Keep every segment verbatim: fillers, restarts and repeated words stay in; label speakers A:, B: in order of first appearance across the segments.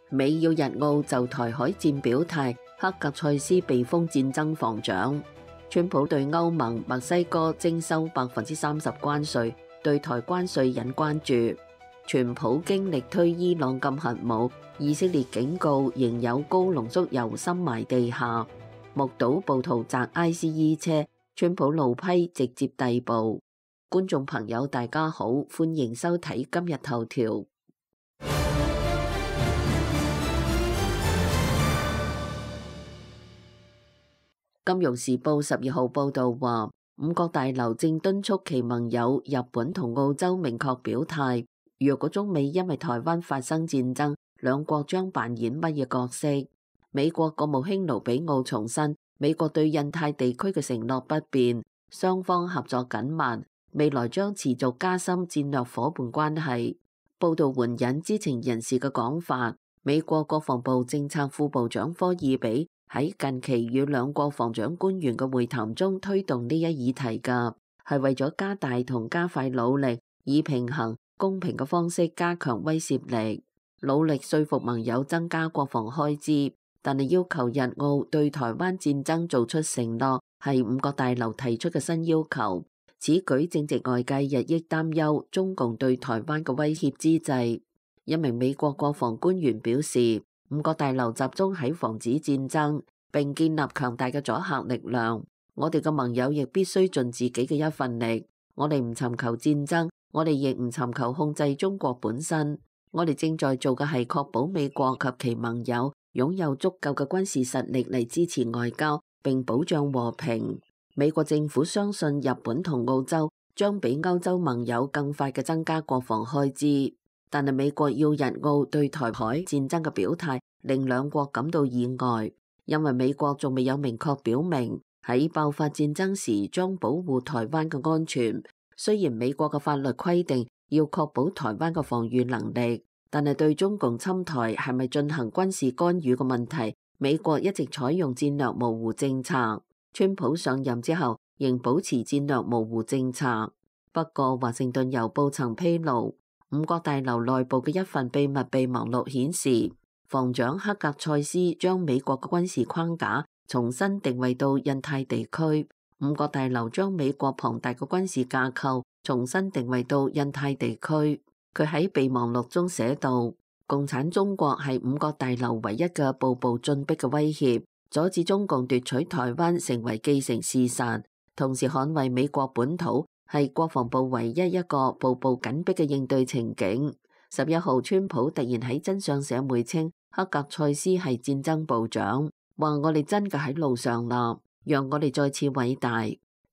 A: 美要日澳就台海戰表態，克格塞斯被封戰爭防長。川普對歐盟、墨西哥徵收百分之三十關稅，對台關稅引關注。傳普京力推伊朗禁核武，以色列警告仍有高濃縮鈾深埋地下。目睹暴徒砸 I C E 車，川普怒批直接逮捕。觀眾朋友大家好，歡迎收睇今日頭條。金融時報十二號報道話，五角大樓正敦促其盟友日本同澳洲明確表態，若果中美因為台灣發生戰爭，兩國將扮演乜嘢角色？美國國務卿盧比奧重申，美國對印太地區嘅承諾不變，雙方合作緊密，未來將持續加深戰略夥伴關係。報道援引知情人士嘅講法，美國國防部政策副部長科爾比喺近期與兩國防長官員嘅會談中推動呢一議題㗎，係為咗加大同加快努力，以平衡公平嘅方式加強威懾力，努力說服盟友增加國防開支。但係要求日澳對台灣戰爭做出承諾，係五角大樓提出嘅新要求。此舉正值外界日益擔憂中共對台灣嘅威脅之際，一名美國國防官員表示，五角大樓集中喺防止戰爭，並建立強大嘅阻嚇力量。我哋嘅盟友亦必須盡自己嘅一份力。我哋唔尋求戰爭，我哋亦唔尋求控制中國本身。我哋正在做嘅係確保美國及其盟友擁有足夠嘅軍事實力嚟支持外交，並保障和平。美國政府相信日本同澳洲將比歐洲盟友更快嘅增加國防開支，但係美國要日澳對台海戰爭嘅表態令兩國感到意外，因為美國仲未有明確表明喺爆發戰爭時將保護台灣嘅安全。雖然美國嘅法律規定要確保台灣嘅防禦能力，但係對中共侵台係咪進行軍事干預嘅問題，美國一直採用戰略模糊政策。川普上任之後仍保持戰略模糊政策。不過華盛頓郵報曾披露，五角大樓內部嘅一份秘密備忘錄顯示，防長克格塞斯將美國嘅軍事框架重新定位到印太地區。五角大樓將美國龐大嘅軍事架構重新定位到印太地區。佢喺備忘錄中寫道，共產中國係五角大樓唯一嘅步步進逼嘅威脅，阻止中共奪取台灣成為既成事實，同時捍衛美國本土係國防部唯一一個步步緊逼嘅應對情景。十一號，川普突然喺真相社媒稱克格塞斯係戰爭部長，話我哋真嘅喺路上啦，讓我哋再次偉大。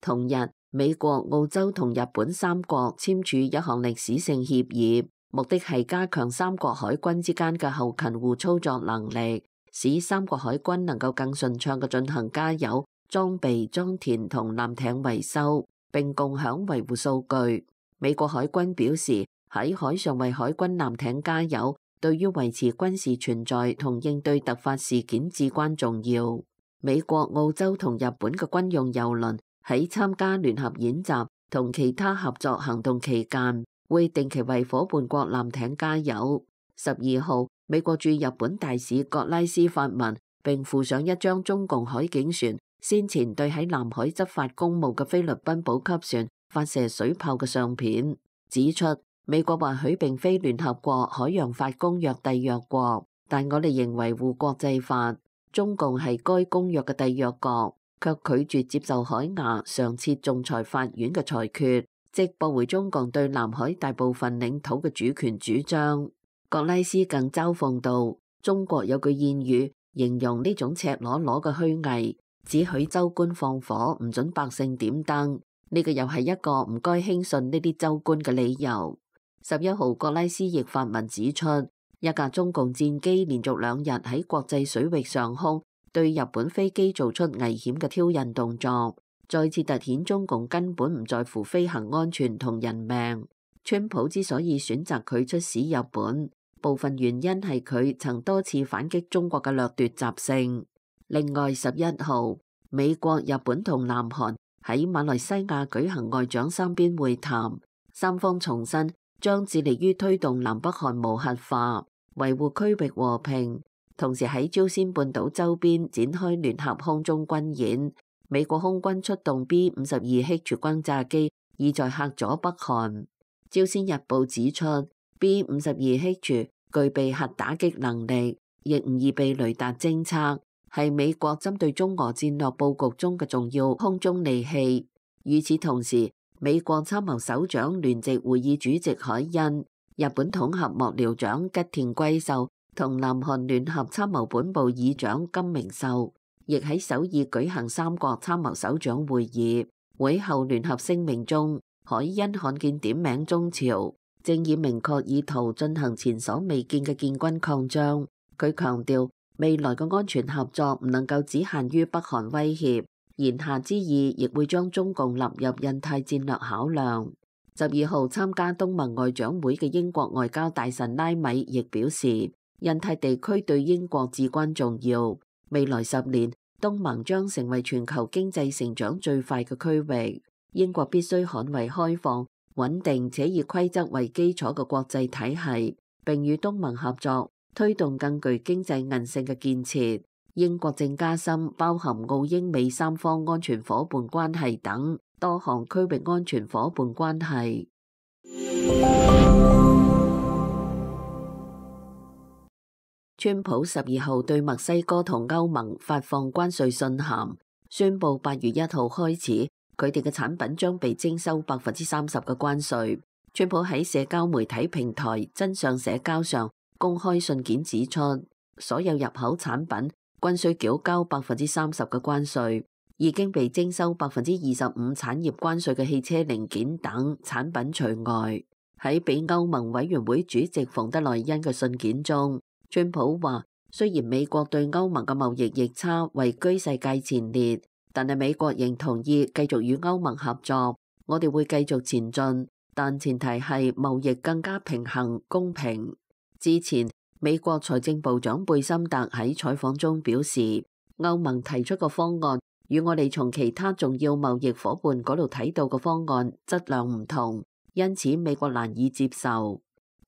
A: 同日，美國、澳洲同日本三國簽署一項歷史性協議，目的係加強三國海軍之間嘅後勤互操作能力，使三國海軍能夠更順暢嘅進行加油、裝備、裝填同艦艇維修，並共享維護數據。美國海軍表示，喺海上為海軍艦艇加油，對於維持軍事存在同應對突發事件至關重要。美國、澳洲同日本嘅軍用郵輪喺參加聯合演習同其他合作行動期間，會定期為夥伴國艦艇加油。十二號，美國駐日本大使葛拉斯發文，並附上一張中共海警船先前對喺南海執法公務嘅菲律賓補給船發射水炮嘅相片，指出美國或許並非聯合國海洋法公約締約國，但我哋仍維護國際法。中共係該公約嘅締約國，卻拒絕接受海牙常設仲裁法院嘅裁決，即駁回中共對南海大部分領土嘅主權主張。葛拉斯更嘲諷道，中國有句諺語形容呢種赤裸裸嘅虛偽，只許州官放火，唔准百姓點燈。呢個又係一個唔該輕信呢啲州官嘅理由。十一號，葛拉斯亦發文指出，一架中共戰機連續兩日喺國際水域上空對日本飛機做出危險嘅挑釁動作，再次凸顯中共根本唔在乎飛行安全同人命。川普之所以選擇佢出使日本，部分原因係佢曾多次反擊中國嘅掠奪習性。另外，十一號，美國、日本同南韓喺馬來西亞舉行外長三邊會談，三方重申將致力於推動南北韓無核化。維護區域和平，同時喺朝鮮半島周邊展開聯合空中軍演。美國空軍出動 B 五十二 H 轟炸機，意在嚇阻北韓。朝鮮日報指出 ，B 五十二 H 具備核打擊能力，亦唔易被雷達偵測，係美國針對中俄戰略佈局中嘅重要空中利器。與此同時，美國參謀首長聯席會議主席海恩、日本統合幕僚長吉田貴秀同南韓聯合參謀本部議長金明秀，亦喺首爾舉行三國參謀首長會議。會後聯合聲明中，海恩罕見點名中朝正以明確意圖進行前所未見嘅建軍擴張。佢強調，未來嘅安全合作唔能夠只限於北韓威脅，言下之意亦會將中共納入印太戰略考量。十二號參加東盟外長會嘅英國外交大臣拉米亦表示，印太地區對英國至關重要。未來十年，東盟將成為全球經濟成長最快嘅區域。英國必須捍衛開放、穩定且以規則為基礎嘅國際體系，並與東盟合作，推動更具經濟韌性嘅建設。英國正加深包含澳英美三方安全夥伴關係等多項區域安全夥伴關係。川普十二號對墨西哥同歐盟發放關稅信函，宣布八月一號開始，佢哋嘅產品將被徵收百分之三十嘅關稅。川普喺社交媒體平台真相社交上公開信件指出，所有入口產品均須繳交百分之三十嘅關稅，已經被徵收百分之二十五產業關稅嘅汽車零件等產品除外。喺俾歐盟委員會主席馮德萊恩嘅信件中，川普話：雖然美國對歐盟嘅貿易逆差位居世界前列，但係美國仍同意繼續與歐盟合作。我哋會繼續前進，但前提係貿易更加平衡公平。之前，美國財政部長貝森特喺採訪中表示，歐盟提出嘅方案與我哋從其他重要貿易夥伴嗰度睇到嘅方案質量唔同，因此美國難以接受。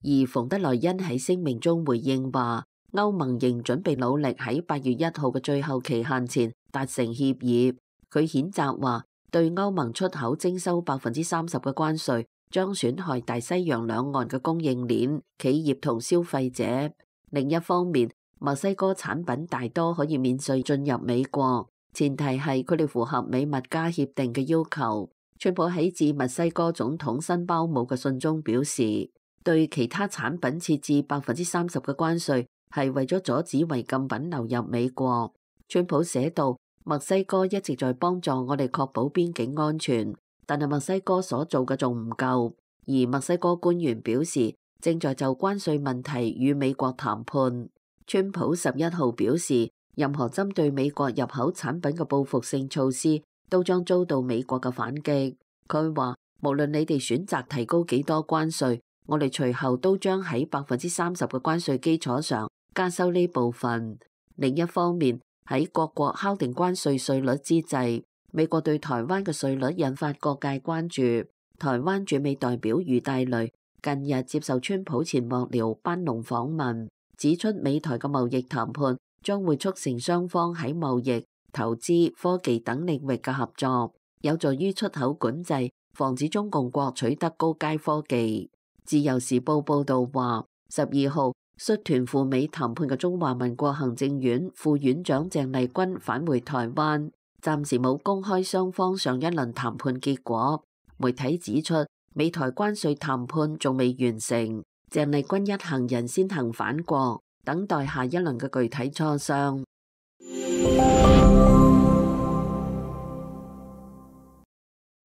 A: 而馮德萊恩喺聲明中回應話，歐盟仍準備努力喺八月一號嘅最後期限前達成協議。佢譴責話，對歐盟出口徵收百分之三十嘅關稅，將損害大西洋兩岸嘅供應鏈、企業同消費者。另一方面，墨西哥產品大多可以免稅進入美國，前提係佢哋符合美墨加協定嘅要求。川普喺致墨西哥總統辛包姆嘅信中表示，對其他產品設置百分之三十嘅關稅，係為咗阻止違禁品流入美國。川普寫道，墨西哥一直在幫助我哋確保邊境安全，但係墨西哥所做嘅仲唔夠。而墨西哥官員表示，正在就關稅問題與美國談判。川普十一號表示，任何針對美國入口產品嘅報復性措施，都將遭到美國嘅反擊。佢話，無論你哋選擇提高幾多關稅，我哋隨後都將喺百分之三十嘅關稅基礎上加收呢部分。另一方面，喺各國敲定關稅稅率之際，美國對台灣嘅稅率引發各界關注。台灣駐美代表余大雷近日接受川普前幕僚班農訪問，指出美台嘅貿易談判將會促成雙方喺貿易、投資、科技等領域嘅合作，有助於出口管制，防止中共國取得高階科技。自由時報報道話，十二號率團赴美談判嘅中華民國行政院副院長鄭麗君返回台灣，暫時冇公開雙方上一輪談判結果。媒體指出，美台關稅談判仲未完成，鄭麗君一行人先行返國，等待下一輪嘅具體磋商。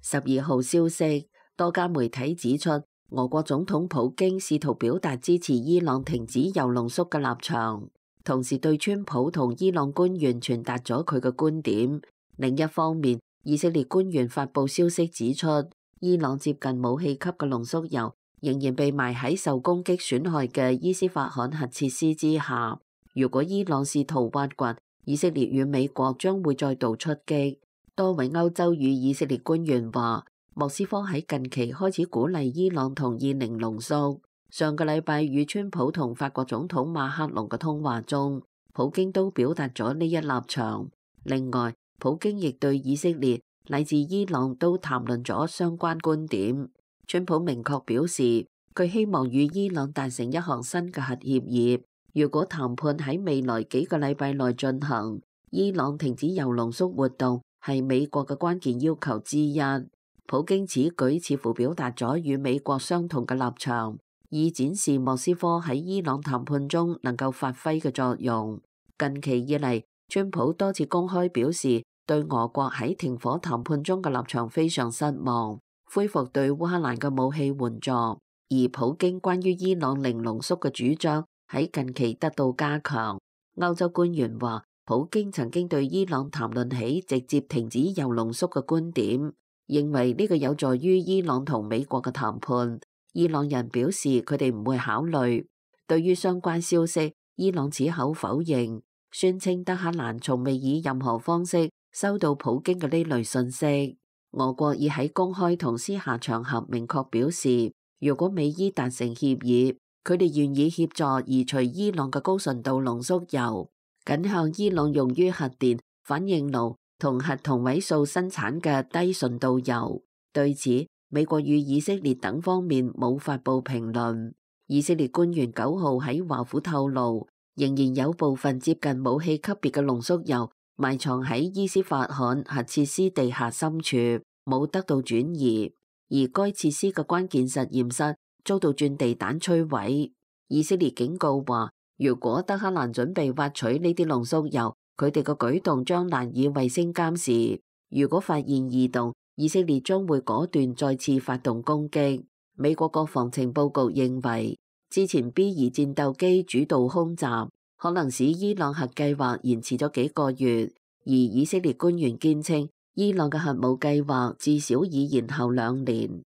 A: 十二號消息，多家媒體指出，俄國總統普京試圖表達支持伊朗停止鈾濃縮嘅立場，同時對川普同伊朗官員傳達咗佢嘅觀點。另一方面，以色列官員發布消息指出，伊朗接近武器級嘅濃縮鈾仍然被埋喺受攻擊損害嘅伊斯法罕核設施之下。如果伊朗試圖挖掘，以色列與美國將會再度出擊。多位歐洲與以色列官員話，莫斯科喺近期開始鼓勵伊朗同意零濃縮。上個禮拜與川普同法國總統馬克龍嘅通話中，普京都表達咗呢一立場。另外，普京亦對以色列乃至伊朗都談論咗相關觀點。川普明確表示，佢希望與伊朗達成一項新嘅核協議。如果談判喺未來幾個禮拜內進行，伊朗停止鈾濃縮活動係美國嘅關鍵要求之一。普京此舉似乎表達咗與美國相同嘅立場，以展示莫斯科喺伊朗談判中能夠發揮嘅作用。近期以嚟，川普多次公開表示對俄國喺停火談判中嘅立場非常失望，恢復對烏克蘭嘅武器援助。而普京關於伊朗零濃縮嘅主張喺近期得到加強。歐洲官員話，普京曾經對伊朗談論起直接停止鈾濃縮嘅觀點，認為呢個有助於伊朗同美國嘅談判。伊朗人表示佢哋唔會考慮。對於相關消息，伊朗矢口否認，宣稱德黑蘭從未以任何方式收到普京嘅呢類信息。俄國已喺公開同私下場合明確表示，如果美伊達成協議，佢哋願意協助移除伊朗嘅高純度濃縮鈾，僅向伊朗用於核電、反應爐同核同位素生產嘅低純度鈾。對此，美國與以色列等方面冇發布評論。以色列官員九號喺華府透露，仍然有部分接近武器級別嘅濃縮鈾埋藏喺伊斯法罕核設施地下深處，冇得到轉移。而該設施嘅關鍵實驗室遭到鑽地彈摧毀。以色列警告話，如果德黑蘭準備挖取呢啲濃縮鈾，佢哋嘅舉動將難以衛星監視。如果發現異動，以色列將會果斷再次發動攻擊。美國國防情報局認為，之前 B 二戰鬥機主導空襲可能使伊朗核計劃延遲咗幾個月，而以色列官員堅稱，伊朗嘅核武計劃至少已延後兩年。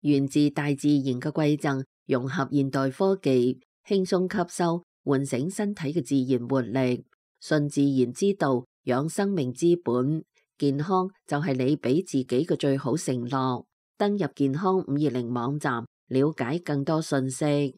A: 源自大自然嘅饋贈，融合現代科技，輕鬆吸收，喚醒身體嘅自然活力。順自然之道，養生命之本。健康就係你俾自己嘅最好承諾。登入健康五二零網站，了解更多信息。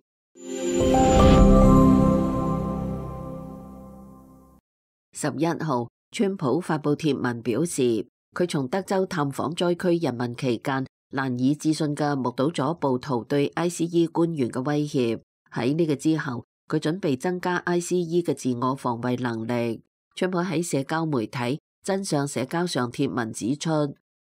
A: 十一號，川普發布貼文表示，佢從德州探訪災區人民期間，難以置信嘅目睹咗暴徒對 I C E 官員嘅威脅。喺呢個之後，佢準備增加 I C E 嘅自我防衛能力。川普喺社交媒體真相社交上貼文指出，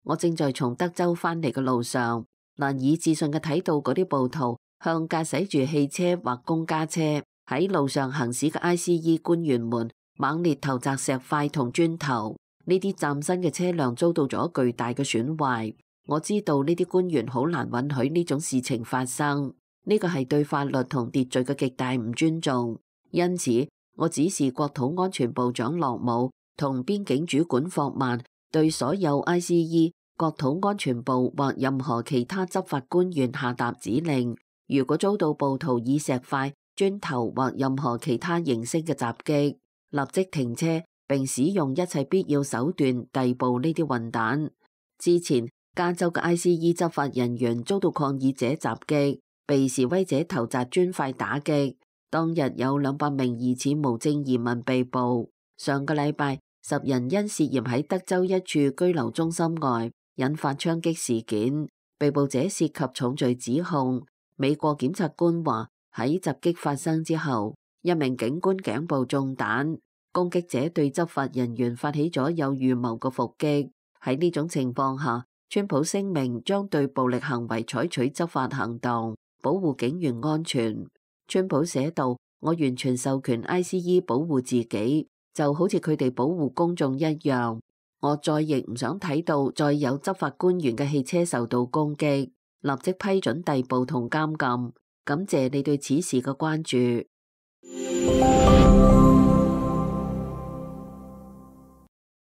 A: 我正在從德州返嚟嘅路上，難以置信嘅睇到嗰啲暴徒向駕駛住汽車或公家車喺路上行駛嘅 I C E 官員們猛烈投擲石塊同磚頭。呢啲嶄新嘅車輛遭到咗巨大嘅損壞。我知道呢啲官員好難允許呢種事情發生，呢個係對法律同秩序嘅極大唔尊重。因此，我指示國土安全部長洛姆同邊境主管霍曼對所有 I C E、國土安全部或任何其他執法官員下達指令，如果遭到暴徒以石塊、磚頭或任何其他形式嘅襲擊，立即停車並使用一切必要手段逮捕呢啲混蛋。之前，加州嘅 I C E 執法人員遭到抗議者襲擊，被示威者投擲磚塊打擊。當日有兩百名疑似無證移民被捕。上個禮拜，十人因涉嫌喺德州一處居留中心外引發槍擊事件，被捕者涉及重罪指控。美國檢察官話，喺襲擊發生之後，一名警官頸部中彈，攻擊者對執法人員發起咗有預謀嘅伏擊。喺呢種情況下，川普聲明將對暴力行為採取執法行動，保護警員安全。川普寫道，我完全授權 I C E 保護自己，就好似佢哋保護公眾一樣。我再亦唔想睇到再有執法官員嘅汽車受到攻擊，立即批准逮捕同監禁。感謝你對此事嘅關注。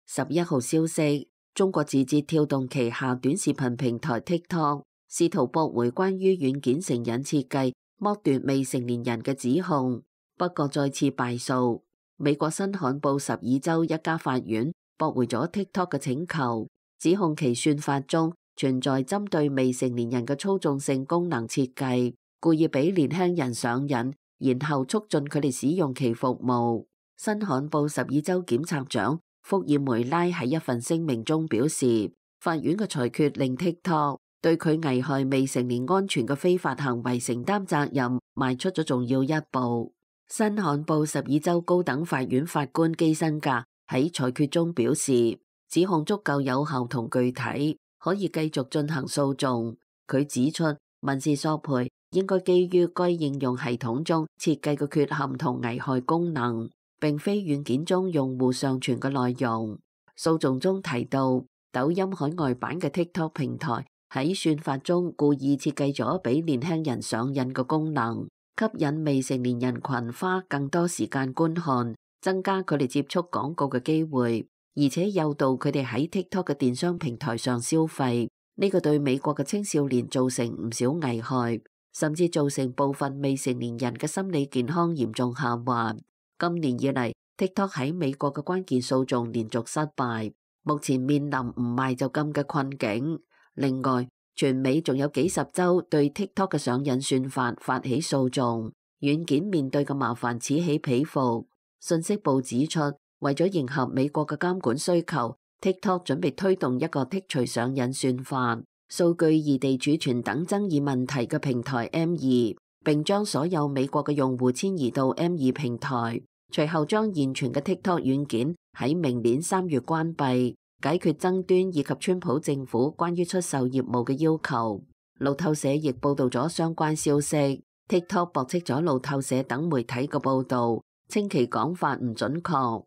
A: 十一號消息，中國字節跳動旗下短視頻平台 TikTok 試圖駁回關於軟件成癮設計剝奪未成年人嘅指控，不過再次敗訴。美國新罕布什爾州一家法院駁回咗 TikTok 嘅請求，指控其算法中存在針對未成年人嘅操縱性功能設計，故意俾年輕人上癮，然後促進佢哋使用其服務。新罕布什爾州檢察長福爾梅拉喺一份聲明中表示，法院嘅裁決令 TikTok 對佢危害未成年安全嘅非法行為承擔責任，邁出咗重要一步。新罕布什爾州高等法院法官基辛格喺裁決中表示，指控足夠有效同具體，可以繼續進行訴訟。佢指出，民事索賠應該基於該應用系統中設計嘅缺陷同危害功能，並非軟件中用戶上傳嘅內容。訴訟中提到，抖音海外版嘅 TikTok 平台喺算法中故意設計咗俾年輕人上癮嘅功能，吸引未成年人群花更多時間觀看，增加佢哋接觸廣告嘅機會，而且誘導佢哋喺 TikTok 嘅電商平台上消費。呢個對美國嘅青少年造成唔少危害，甚至造成部分未成年人嘅心理健康嚴重下滑。今年以嚟 ，TikTok 喺美國嘅關鍵訴訟連續失敗，目前面臨唔賣就禁嘅困境。另外，全美仲有幾十州對 TikTok 嘅上癮算法發起訴訟，軟件面對嘅麻煩此起彼伏。信息部指出，為咗迎合美國嘅監管需求，TikTok 準備推動一個剔除上癮算法、數據異地儲存等爭議問題嘅平台 M 二，並將所有美國嘅用戶遷移到 M 二平台。隨後將現存嘅 TikTok 軟件喺明年三月關閉，解決爭端以及川普政府關於出售業務嘅要求。路透社亦報道咗相關消息。TikTok 駁斥咗路透社等媒體嘅報導，稱其講法唔準確。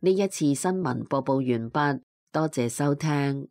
A: 呢一次新聞播報完畢，多謝收聽。